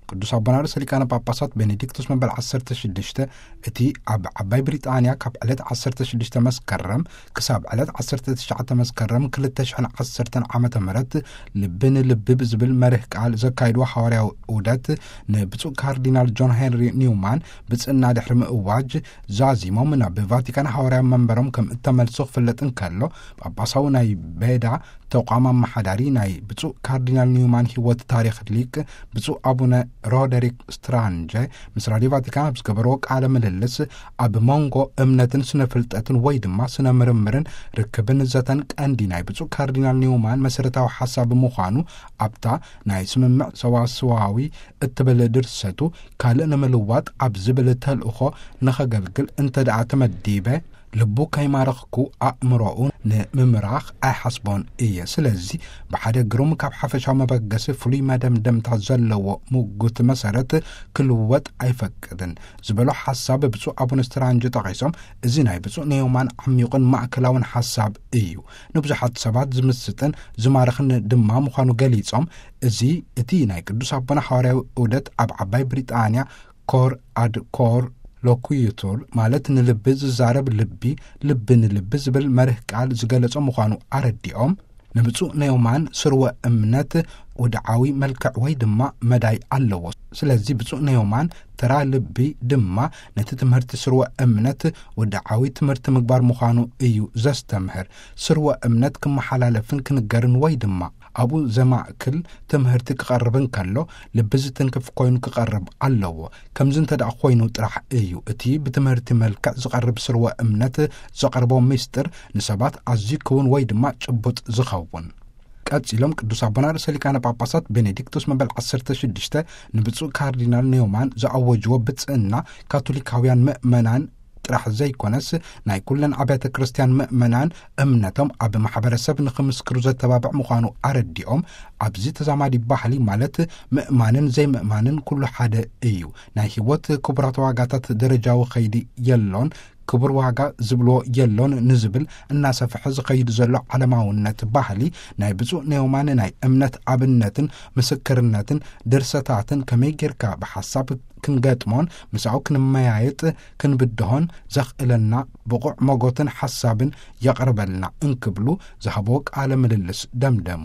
ቅዱስ ኣቦና ርእሰ ሊቃነ ጳጳሳት ቤኔዲክቶስ መበል ዓሰርተ ሽዱሽተ፣ እቲ ኣብ ዓባይ ብሪጣንያ ካብ ዕለት ዓሰርተ ሽዱሽተ መስከረም ክሳብ ዕለት ዓሰርተ ትሽዓተ መስከረም ክልተ ሽሕን ዓሰርተን ዓመተ ምህረት፣ ልቢ ንልቢ ብዝብል መርህ ቃል ዘካይድዎ ሓዋርያዊ ዑደት፣ ንብፁዕ ካርዲናል ጆን ሄንሪ ኒውማን ብጽና ድሕሪ ምእዋጅ፣ ዛዚሞም ናብ ቫቲካን ሓዋርያዊ መንበሮም ከም እተመልሱ ክፍለጥ እንከሎ፣ ጳጳሳዊ ናይ ቤዳ ተቋም ኣመሓዳሪ ናይ ብፁዕ ካርዲናል ኒውማን ህይወት ታሪኽ ሊቅ ብፁዕ ኣቡነ ሮደሪክ ስትራንጀ ምስ ራድዮ ቫቲካን ኣብ ዝገበርዎ ቃለ ምልልስ፣ ኣብ መንጎ እምነትን ስነ ፍልጠትን ወይ ድማ ስነ ምርምርን ርክብን ዘተን ቀንዲ ናይ ብፁዕ ካርዲናል ኒውማን መሰረታዊ ሓሳብ ምዃኑ፣ ኣብታ ናይ ስምምዕ ሰዋስዋዊ እትብል ድርሰቱ፣ ካልእ ንምልዋጥ ኣብ ዝብል ተልእኾ ንኸገልግል እንተ ደኣ ተመዲበ፣ ልቡ ከይማረኽኩ ኣእምሮኡ ንምምራኽ ኣይሓስቦን እየ። ስለዚ ብሓደ ግሩም ካብ ሓፈሻዊ መበገሲ ፍሉይ መደምደምታ ዘለዎ ምጉት መሰረት ክልወጥ ኣይፈቅድን ዝበሎ ሓሳብ ብፁዕ ኣቡነ ስትራንጅ ጠቒሶም፣ እዚ ናይ ብፁዕ ኒውማን ዓሚቑን ማእከላውን ሓሳብ እዩ። ንብዙሓት ሰባት ዝምስጥን ዝማርኽን ድማ ምዃኑ ገሊጾም፣ እዚ እቲ ናይ ቅዱስ ኣቦና ሓዋርያዊ ዑደት ኣብ ዓባይ ብሪጣንያ ኮር ኣድ ኮር ሎኩዩቱር፣ ማለት ንልቢ ዝዛረብ ልቢ፣ ልቢ ንልቢ ዝብል መርህ ቃል ዝገለጾ ምዃኑ ኣረዲኦም፣ ንብፁዕ ኒውማን ስርወ እምነት ወድዓዊ መልክዕ ወይ ድማ መዳይ ኣለዎ። ስለዚ ብፁዕ ኒውማን ተራ ልቢ ድማ ነቲ ትምህርቲ ስርወ እምነት ወድዓዊ ትምህርቲ ምግባር ምዃኑ እዩ ዘስተምህር። ስርወ እምነት ክመሓላለፍን ክንገርን ወይ ድማ ኣብኡ ዘማእክል ትምህርቲ ክቐርብ እንከሎ፣ ልቢ ዝትንክፍ ኮይኑ ክቐርብ ኣለዎ። ከምዚ እንተ ደኣ ኮይኑ ጥራሕ እዩ እቲ ብትምህርቲ መልክዕ ዝቐርብ ስርወ እምነት ዘቐርቦ ምስጢር ንሰባት ኣዝዩ ክውን ወይ ድማ ጭቡጥ ዝኸውን። ቀጺሎም ቅዱስ ኣቦና ርእሰ ሊቃነ ጳጳሳት ቤኔዲክቶስ መበል ዓሰርተ ሽዱሽተ ንብፁዕ ካርዲናል ኒውማን ዝኣወጅዎ ብጽእና ካቶሊካውያን ምእመናን ጥራሕ ዘይኮነስ፣ ናይ ኩለን ኣብያተ ክርስቲያን ምእመናን እምነቶም ኣብ ማሕበረሰብ ንኽምስክሩ ዘተባብዕ ምዃኑ ኣረዲኦም፣ ኣብዚ ተዛማዲ ባህሊ ማለት ምእማንን ዘይምእማንን ኩሉ ሓደ እዩ። ናይ ህይወት ክቡራት ዋጋታት ደረጃዊ ኸይዲ የሎን፣ ክቡር ዋጋ ዝብልዎ የሎን ንዝብል እናሰፍሐ ዝኸይድ ዘሎ ዓለማውነት ባህሊ፣ ናይ ብፁዕ ኒውማን ናይ እምነት ኣብነትን ምስክርነትን ድርሰታትን ከመይ ጌርካ ብሓሳብ ክንገጥሞን ምሳኡ ክንመያየጥ ክንብድሆን ዘኽእለና ብቑዕ መጎትን ሓሳብን የቕርበልና እንክብሉ ዝሃብዎ ቃለ ምልልስ ደምደሙ።